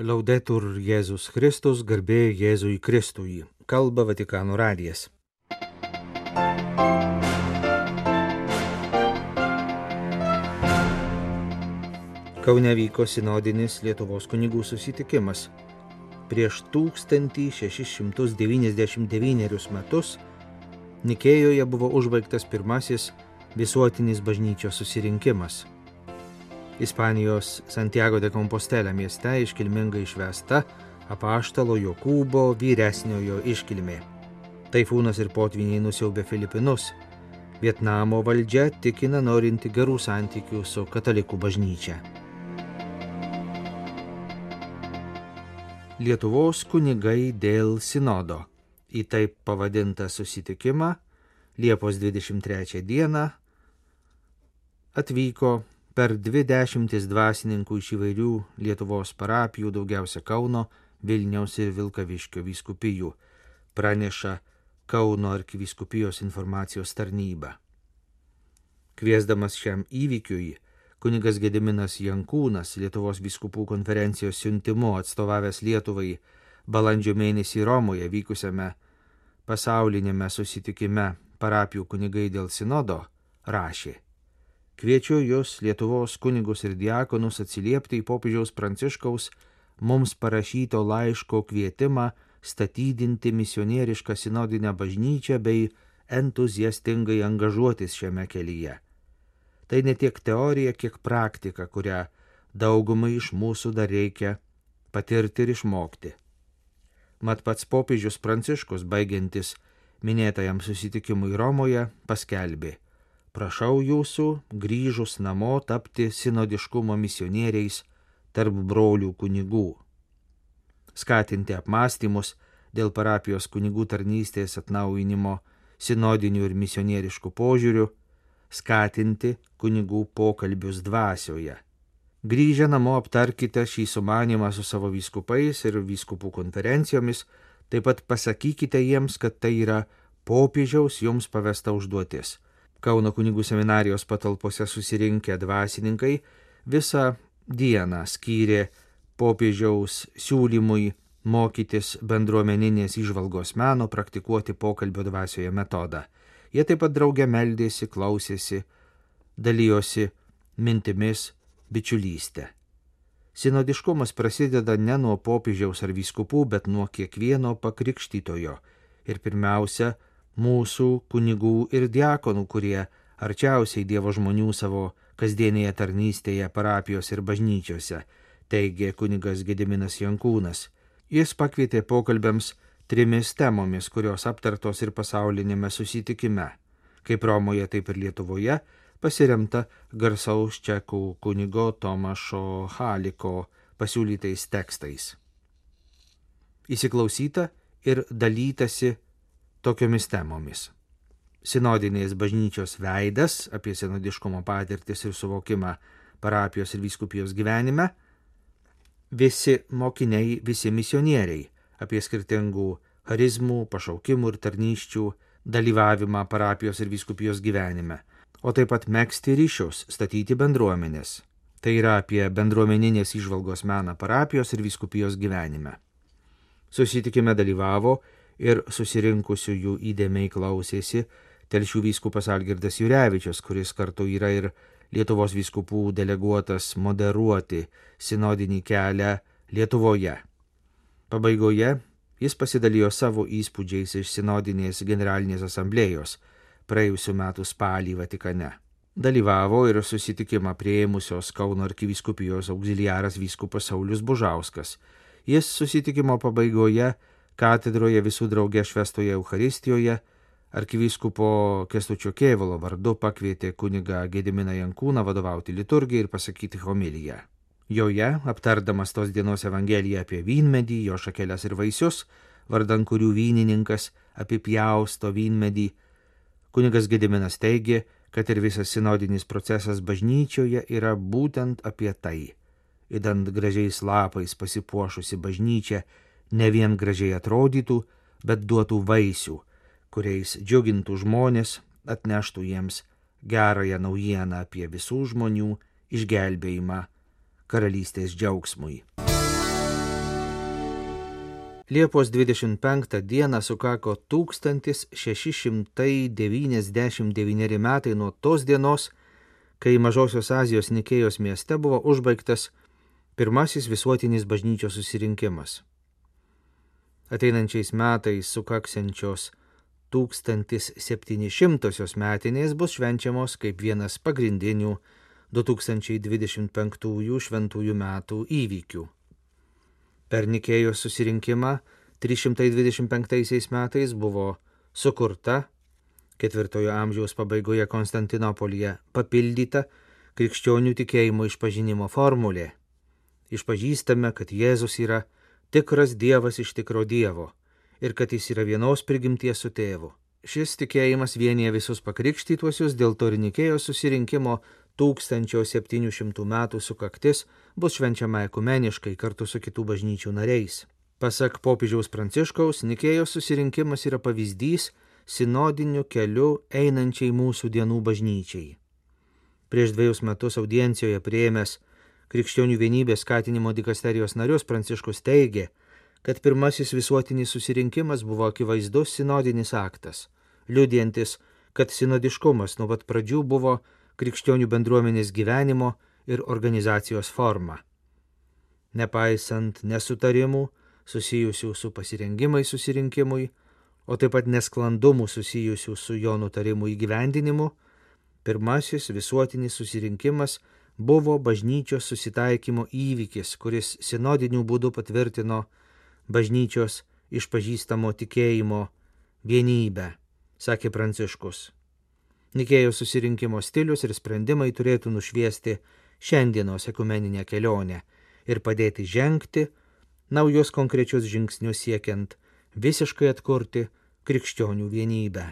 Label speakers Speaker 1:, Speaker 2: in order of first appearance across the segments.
Speaker 1: Laudetur Jėzus Kristus, garbė Jėzui Kristui. Kalba Vatikano radijas. Kaune vyko sinodinis Lietuvos kunigų susitikimas. Prieš 1699 metus Nikėjoje buvo užbaigtas pirmasis visuotinis bažnyčios susirinkimas. Ispanijos Santiago de Compostela mieste iškilmingai švęsta apaštalo Jokūbo vyresniojo iškilmė. Taifūnas ir potvyniai nusiaubė Filipinus. Vietnamo valdžia tikina norinti gerų santykių su katalikų bažnyčia. Lietuvos kunigai dėl sinodo. Į taip pavadintą susitikimą Liepos 23 dieną atvyko per 20 dvasininkų iš įvairių Lietuvos parapijų, daugiausia Kauno, Vilniaus ir Vilkaviškio vyskupijų, praneša Kauno arkivyskupijos informacijos tarnyba. Kviesdamas šiam įvykiui, kunigas Gediminas Jankūnas Lietuvos vyskupų konferencijos siuntimu atstovavęs Lietuvai balandžio mėnesį Romoje vykusiame pasaulinėme susitikime parapijų kunigai dėl sinodo rašė: Kviečiu jūs, Lietuvos kunigus ir diakonus, atsiliepti į popiežiaus Pranciškaus mums parašyto laiško kvietimą statydinti misionierišką sinodinę bažnyčią bei entuziastingai angažuotis šiame kelyje. Tai ne tiek teorija, kiek praktika, kurią daugumai iš mūsų dar reikia patirti ir išmokti. Mat pats popiežius Pranciškus, baigiantis minėtajam susitikimui Romoje, paskelbė: Prašau jūsų, grįžus namo, tapti sinodiškumo misionieriais tarp brolių kunigų. Skatinti apmąstymus dėl parapijos kunigų tarnystės atnaujinimo sinodinių ir misionieriškų požiūrių, skatinti kunigų pokalbius dvasioje. Grįžę namo aptarkite šį sumanymą su savo vyskupais ir vyskupų konferencijomis, taip pat pasakykite jiems, kad tai yra popiežiaus jums pavesta užduotis. Kauno kunigų seminarijos patalpose susirinkę dvasininkai visą dieną skyrė popiežiaus siūlymui mokytis bendruomeninės įžvalgos meno, praktikuoti pokalbio dvasioje metodą. Jie taip pat drauge meldėsi, klausėsi, dalijosi mintimis, bičiulystė. Sinodiškumas prasideda ne nuo popiežiaus ar vyskupų, bet nuo kiekvieno pakrikštytojo ir pirmiausia mūsų kunigų ir diakonų, kurie arčiausiai Dievo žmonių savo kasdienėje tarnystėje parapijos ir bažnyčiose, teigė kunigas Gediminas Jankūnas. Jis pakvietė pokalbiams 3 temomis, kurios aptartos ir pasaulinėme susitikime. Kaip Romoje, taip ir Lietuvoje pasiremta garsaus čekų kunigo Tomašo Haliko pasiūlytais tekstais. Įsiklausyta ir dalytasi tokiomis temomis: sinodinės bažnyčios veidas, apie sinodiškumo patirtis ir suvokimą parapijos ir vyskupijos gyvenime, visi mokiniai, visi misionieriai, apie skirtingų charizmų, pašaukimų ir tarnysčių dalyvavimą parapijos ir vyskupijos gyvenime, o taip pat megzti ryšius, statyti bendruomenės. Tai yra apie bendruomeninės įžvalgos meną parapijos ir vyskupijos gyvenime. Susitikime dalyvavo ir susirinkusiųjų įdėmiai klausėsi Telšių vyskupas Algirdas Jurevičius, kuris kartu yra ir Lietuvos vyskupų deleguotas moderuoti sinodinį kelią Lietuvoje. Pabaigoje jis pasidalijo savo įspūdžiais iš sinodinės generalinės asamblėjos praėjusių metų spalį Vatikane. Dalyvavo ir susitikimą priėmusios Kauno arkivyskupijos auxiliaras vyskupas Saulius Bužauskas. Jis susitikimo pabaigoje katedroje visų drauge švęstoje Eucharistijoje arkivyskupo Kęstučio Kėvalo vardu pakvietė kunigą Gediminą Jankūną vadovauti liturgijai ir pasakyti homiliją. Joje, aptardamas tos dienos evangeliją apie vynmedį, jo šakeles ir vaisius, vardan kurių vynininkas apipjausto vynmedį, kunigas Gediminas teigė, kad ir visas sinodinis procesas bažnyčioje yra būtent apie tai. Idant gražiais lapais pasipuošusi bažnyčia ne vien gražiai atrodytų, bet duotų vaisių, kuriais džiugintų žmonės, atneštų jiems gerąją naujieną apie visų žmonių išgelbėjimą karalystės džiaugsmui. Liepos 25 dieną sukako 1699 metai nuo tos dienos, kai Mažosios Azijos Nikėjos mieste buvo užbaigtas pirmasis visuotinis bažnyčios susirinkimas. Ateinančiais metais sukaksiančios 1700 metinės bus švenčiamos kaip vienas pagrindinių 2025 šventųjų metų įvykių. Per Nikėjos susirinkimą 325 metais buvo sukurta 4 amžiaus pabaigoje Konstantinopolyje papildyta krikščionių tikėjimo išpažinimo formulė. Išpažįstame, kad Jėzus yra tikras Dievas iš tikro Dievo ir kad jis yra vienos prigimties su tėvu. Šis tikėjimas vienyje visus pakrikštytuosius, dėl to ir Nikėjos susirinkimo 1700 metų sukaktis bus švenčiama ekumeniškai kartu su kitų bažnyčių nariais. Pasak popiežiaus Pranciškaus, Nikėjos susirinkimas yra pavyzdys sinodiniu keliu einančiai mūsų dienų bažnyčiai. Prieš 2 metus audiencijoje priėmęs krikščionių vienybės skatinimo dikasterijos narius Pranciškus teigė, kad pirmasis visuotinis susirinkimas buvo akivaizdus sinodinis aktas, liudijantis, kad sinodiškumas nuo pat pradžių buvo krikščionių bendruomenės gyvenimo ir organizacijos forma. Nepaisant nesutarimų susijusių su pasirengimais susirinkimui, o taip pat nesklandumų susijusių su jo nutarimų įgyvendinimu, pirmasis visuotinis susirinkimas buvo bažnyčios susitaikymo įvykis, kuris sinodiniu būdu patvirtino bažnyčios išpažįstamo tikėjimo vienybę, sakė Pranciškus. Nikėjos susirinkimo stilius ir sprendimai turėtų nušviesti šiandienos ekumeninę kelionę ir padėti žengti naujus konkrečius žingsnius siekiant visiškai atkurti krikščionių vienybę.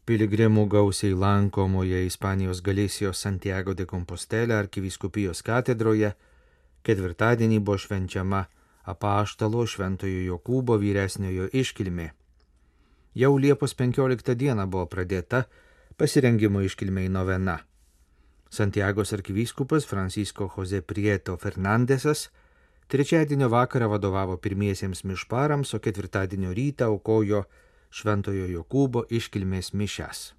Speaker 1: Piligrimų gausiai lankomoje Ispanijos Galisijos Santiago de Compostela arkivyskupijos katedroje ketvirtadienį buvo švenčiama apaštalo Šventojo Jokūbo vyresniojo iškilmė. Jau Liepos 15 dieną buvo pradėta pasirengimo iškilmei novena. Santiagos arkivyskupas Francisco José Prieto Fernandesas trečiadienio vakarą vadovavo pirmiesiems mišparams, o ketvirtadienio rytą aukojo Šventojo Jokūbo iškilmės mišias.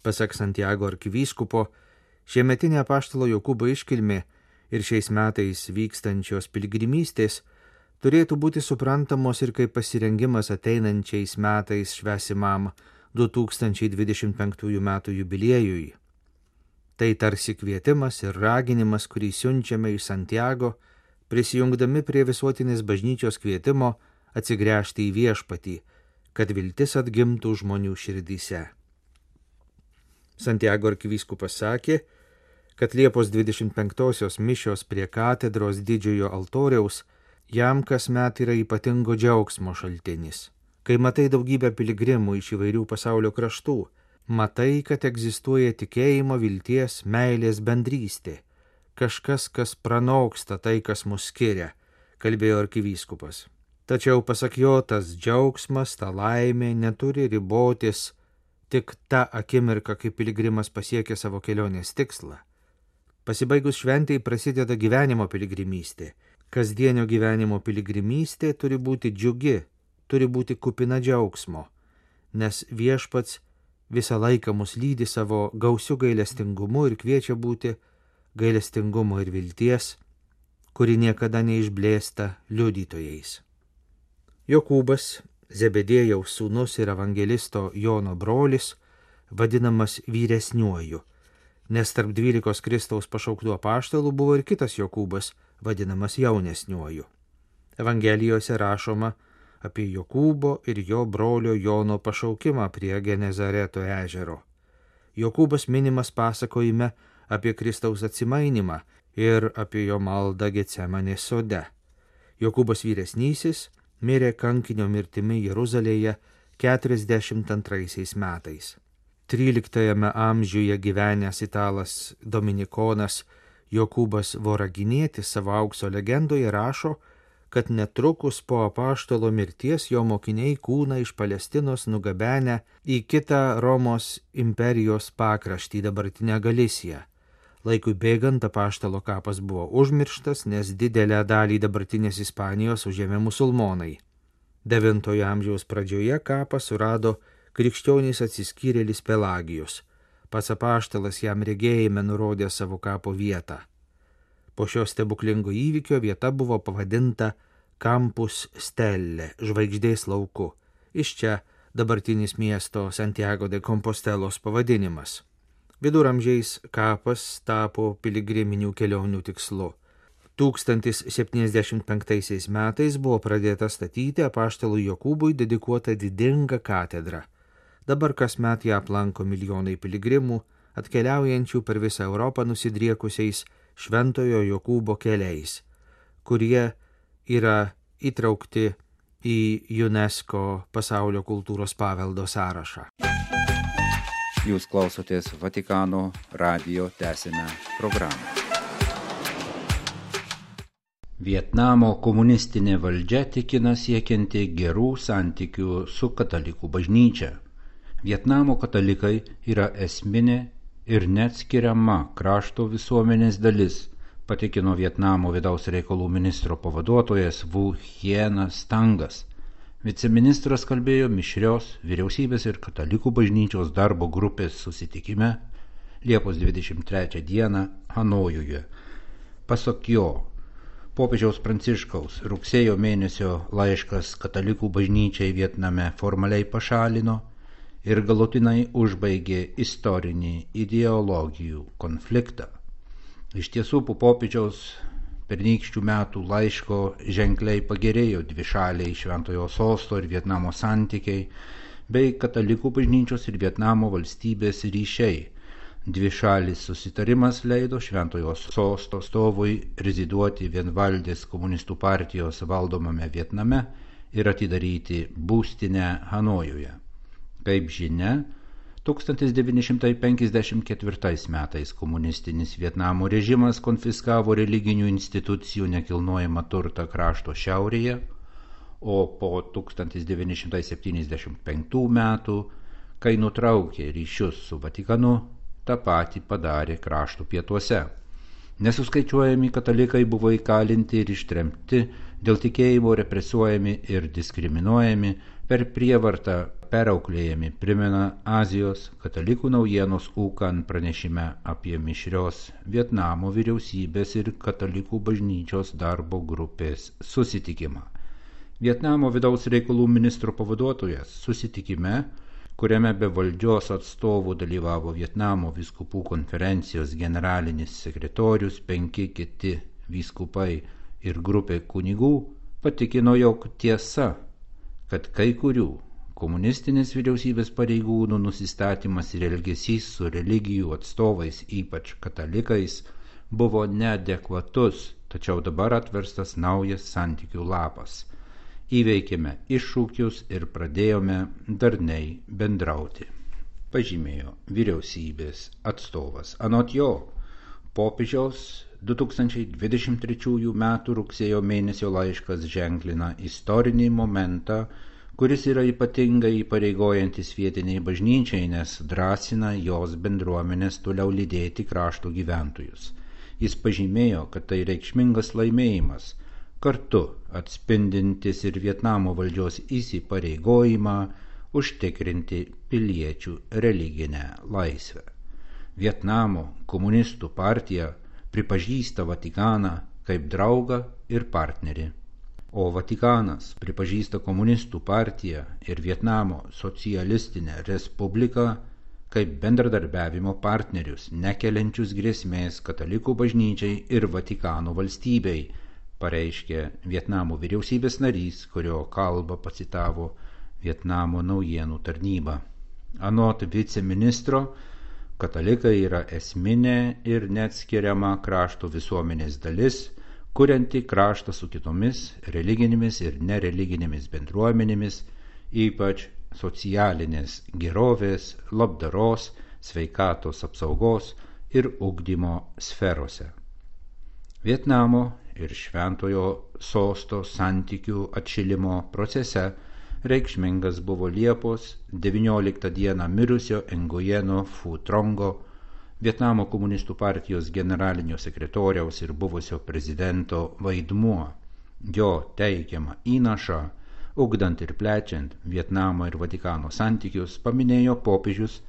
Speaker 1: Pasak Santiago arkivyskupo, šiemetinė apaštalo Jokūbo iškilmė ir šiais metais vykstančios piligrimystės turėtų būti suprantamos ir kaip pasirengimas ateinančiais metais švęsimam 2025 metų jubiliejui. Tai tarsi kvietimas ir raginimas, kurį siunčiame iš Santiago, prisijungdami prie visuotinės bažnyčios kvietimo atsigręžti į viešpatį, kad viltis atgimtų žmonių širdyse. Santiago arkivyskupas sakė, kad Liepos 25-osios mišios prie katedros didžiojo altoriaus jam kasmet yra ypatingo džiaugsmo šaltinis. Kai matai daugybę piligrimų iš įvairių pasaulio kraštų, matai, kad egzistuoja tikėjimo, vilties, meilės bendrystė, kažkas, kas pranoksta tai, kas mus skiria, kalbėjo arkivyskupas. Tačiau pasak jo, tas džiaugsmas, ta laimė neturi ribotis tik tą akimirką, kai piligrimas pasiekia savo kelionės tikslą. Pasibaigus šventei prasideda gyvenimo piligrimystė. Kasdienio gyvenimo piligrimystė turi būti džiugi, turi būti kupina džiaugsmo, nes viešpats visą laiką mus lydi savo gausiu gailestingumu ir kviečia būti gailestingumo ir vilties, kuri niekada neišblėsta liudytojais. Jokūbas, Zebedėjaus sūnus ir evangelisto Jono brolis, vadinamas vyresniuoju, nes tarp 12 Kristaus pašauktų apaštalų buvo ir kitas Jokūbas, vadinamas jaunesniuoju. Evangelijose rašoma apie Jokūbo ir jo brolio Jono pašaukimą prie Genezareto ežero. Jokūbas minimas pasakojime apie Kristaus atsimainimą ir apie jo maldą Getsemanės sode. Jokūbas vyresnysis mirė kankinio mirtimi Jeruzalėje 42 metais. 13 amžiuje gyvenęs italas dominikonas Jokūbas Voraginietis savo aukso legendoje rašo, kad netrukus po apaštalo mirties jo mokiniai kūną iš Palestinos nugabenę į kitą Romos imperijos pakraštį, dabartinę Galisiją, Laikui bėgant apaštalo kapas buvo užmirštas, nes didelę dalį dabartinės Ispanijos užėmė musulmonai. 9 amžiaus pradžioje kapą surado krikščionys atsiskyrėlis Pelagijus. Pats apaštalas jam regėjime nurodė savo kapo vietą. Po šio stebuklingo įvykio vieta buvo pavadinta Campus Stelle, žvaigždės lauku. Iš čia dabartinis miesto Santiago de Compostelos pavadinimas. Viduramžiais kapas tapo piligriminių kelionių tikslu. 1075 metais buvo pradėta statyti apaštalui Jokūbui dedikuotą didingą katedrą. Dabar kasmet ją aplanko milijonai piligrimų, atkeliaujančių per visą Europą nusidriekusiais Šventojo Jokūbo keliais, kurie yra įtraukti į UNESCO pasaulio kultūros paveldo sąrašą.
Speaker 2: Jūs klausotės Vatikano radijo tęsinę programą. Vietnamo komunistinė valdžia tikina siekianti gerų santykių su katalikų bažnyčia. Vietnamo katalikai yra esminė ir neatskiriama krašto visuomenės dalis, patikino Vietnamo vidaus reikalų ministro pavaduotojas Vu Hienas Tangas. Viceministras kalbėjo mišrios vyriausybės ir katalikų bažnyčios darbo grupės susitikime Liepos 23 dieną Hanojuje. Pasak jo, popiežiaus Pranciškaus rugsėjo mėnesio laiškas katalikų bažnyčiai Vietname formaliai pašalino ir galutinai užbaigė istorinį ideologijų konfliktą. Iš tiesų, po popiežiaus pernykščių metų laiško ženkliai pagerėjo dvišaliai Šventojo Sosto ir Vietnamo santykiai bei katalikų bažnyčios ir Vietnamo valstybės ryšiai. Dvišalis susitarimas leido Šventojo Sosto atstovui reziduoti vienvaldės komunistų partijos valdomame Vietname ir atidaryti būstinę Hanojuje. Kaip žinia, 1954 metais komunistinis Vietnamo režimas konfiskavo religinių institucijų nekilnojamą turtą krašto šiaurėje, o po 1975 metų, kai nutraukė ryšius su Vatikanu, tą patį padarė krašto pietuose. Nesuskaičiuojami katalikai buvo įkalinti ir ištremti, dėl tikėjimo represuojami ir diskriminuojami, per prievartą perauklėjami, primena Azijos katalikų naujienos UKAN pranešime apie mišrios Vietnamo vyriausybės ir katalikų bažnyčios darbo grupės susitikimą. Vietnamo vidaus reikalų ministro pavaduotojas susitikime, kuriame be valdžios atstovų dalyvavo Vietnamo vyskupų konferencijos generalinis sekretorius, 5 kiti vyskupai ir grupė kunigų, patikino, jog tiesa, kad kai kurių komunistinės vyriausybės pareigūnų nusistatymas ir elgesys su religijų atstovais, ypač katalikais, buvo neadekvatus, tačiau dabar atverstas naujas santykių lapas. Įveikėme iššūkius ir pradėjome darniai bendrauti, pažymėjo vyriausybės atstovas. Anot jo, popiežiaus 2023 m. rugsėjo mėnesio laiškas ženklina istorinį momentą, kuris yra ypatingai įpareigojantis vietiniai bažnyčiai, nes drąsina jos bendruomenės toliau lydėti krašto gyventojus. Jis pažymėjo, kad tai reikšmingas laimėjimas, kartu atspindintis ir Vietnamo valdžios įsipareigojimą užtikrinti piliečių religinę laisvę. Vietnamo komunistų partija pripažįsta Vatikaną kaip draugą ir partnerį, o Vatikanas pripažįsta komunistų partiją ir Vietnamo socialistinę respubliką kaip bendradarbiavimo partnerius, nekeliančius grėsmės katalikų bažnyčiai ir Vatikano valstybei, pareiškė Vietnamo vyriausybės narys, kurio kalbą pacitavo Vietnamo naujienų tarnyba. Anot viceministro, katalikai yra esminė ir neatskiriama krašto visuomenės dalis, kurianti kraštą su kitomis religinėmis ir nereliginėmis bendruomenėmis, ypač socialinės gerovės, labdaros, sveikatos apsaugos ir ugdymo sferose. Vietnamo ir Šventojo Sosto santykių atšilimo procese reikšmingas buvo Liepos 19 dieną mirusio Nguyeno Phu Trongo, Vietnamo komunistų partijos generalinio sekretoriaus ir buvusio prezidento vaidmuo, jo teikiamą įnašą, ugdant ir plečiant Vietnamo ir Vatikano santykius, paminėjo popiežius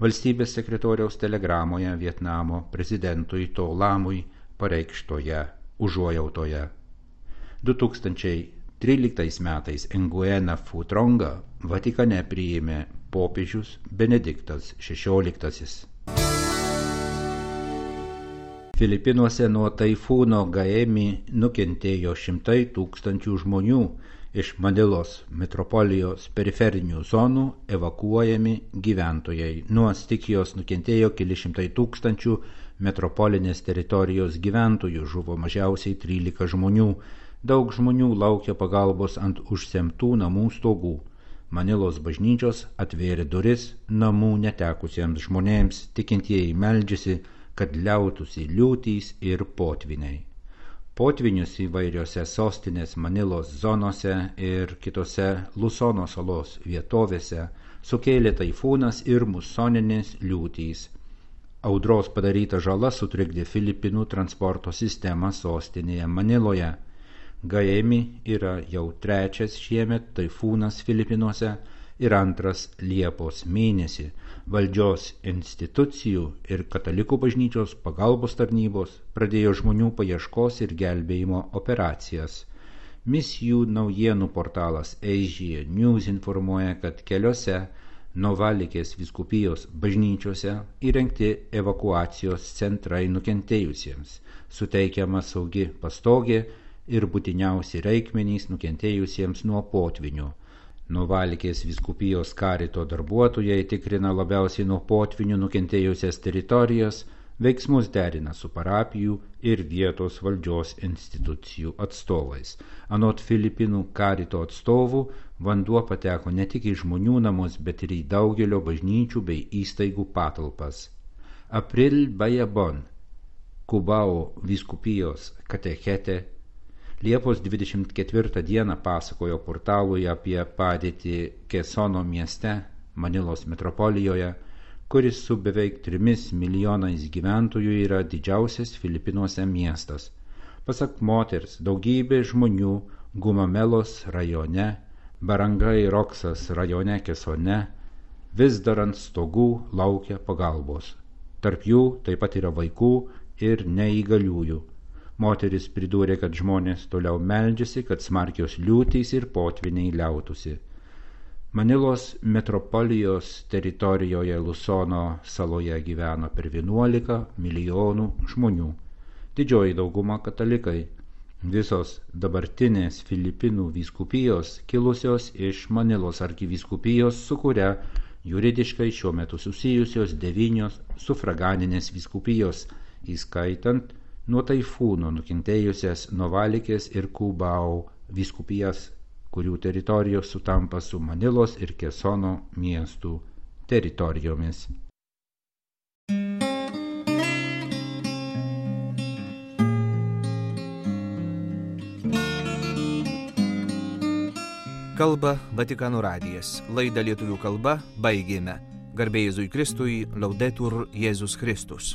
Speaker 2: valstybės sekretoriaus telegramoje Vietnamo prezidentui To Lamui pareikštoje užuojautoje. 2013 metais Nguyen Phu Trong Vatikane priėmė popiežius Benediktas XVI. Filipinuose nuo taifūno Gaemi nukentėjo šimtai tūkstančių žmonių. Iš Manilos metropolijos periferinių zonų evakuojami gyventojai. Nuo stichijos nukentėjo keli šimtai tūkstančių metropolinės teritorijos gyventojų, žuvo mažiausiai 13 žmonių. Daug žmonių laukia pagalbos ant užsemtų namų stogų. Manilos bažnyčios atvėrė duris namų netekusiems žmonėms, tikintieji meldžiasi, kad liautųsi liūtys ir potviniai. Potvinius įvairiose sostinės Manilos zonose ir kitose Lusono salos vietovėse sukėlė taifūnas ir musoninės liūtys. Audros padaryta žala sutrikdė Filipinų transporto sistemą sostinėje Maniloje. Gaemi yra jau trečias šiemet taifūnas Filipinuose ir antras Liepos mėnesį. Valdžios institucijų ir katalikų bažnyčios pagalbos tarnybos pradėjo žmonių paieškos ir gelbėjimo operacijas. Misijų naujienų portalas Asia News informuoja, kad keliose Novalikės vyskupijos bažnyčiose įrengti evakuacijos centrai nukentėjusiems, suteikiama saugi pastogė ir būtiniausi reikmenys nukentėjusiems nuo potvinių. Novalikės vyskupijos karito darbuotojai tikrina labiausiai nuo potvinių nukentėjusias teritorijas, veiksmus derina su parapijų ir vietos valdžios institucijų atstovais. Anot Filipinų karito atstovų, vanduo pateko ne tik į žmonių namus, bet ir į daugelio bažnyčių bei įstaigų patalpas. April Bayabon, Cubao vyskupijos katechetė, Liepos 24 dieną pasakojo portalui apie padėtį Quezon mieste, Manilos metropolijoje, kuris su beveik 3 milijonais gyventojų yra didžiausias Filipinuose miestas. Pasak moters, daugybė žmonių Gumamelos rajone, Barangay Roxas rajone Quezone vis dar ant stogų laukia pagalbos. Tarp jų taip pat yra vaikų ir neįgaliųjų. Moteris pridūrė, kad žmonės toliau meldžiasi, kad smarkios liūtys ir potviniai liautųsi. Manilos metropolijos teritorijoje Lusono saloje gyveno per 11 milijonų žmonių. Didžioji dauguma katalikai. Visos dabartinės Filipinų vyskupijos kilusios iš Manilos arkivyskupijos, su kuria juridiškai šiuo metu susijusios 9 sufraganinės vyskupijos, įskaitant nuo taifūno nukentėjusias Novalikės ir Cubao vyskupijas, kurių teritorijos sutampa su Manilos ir Quezono miestų teritorijomis.
Speaker 1: Kalba Vatikano radijas. Laidą lietuvių kalba baigėme. Garbė Jėzui Kristui, Laudetur Jėzus Kristus.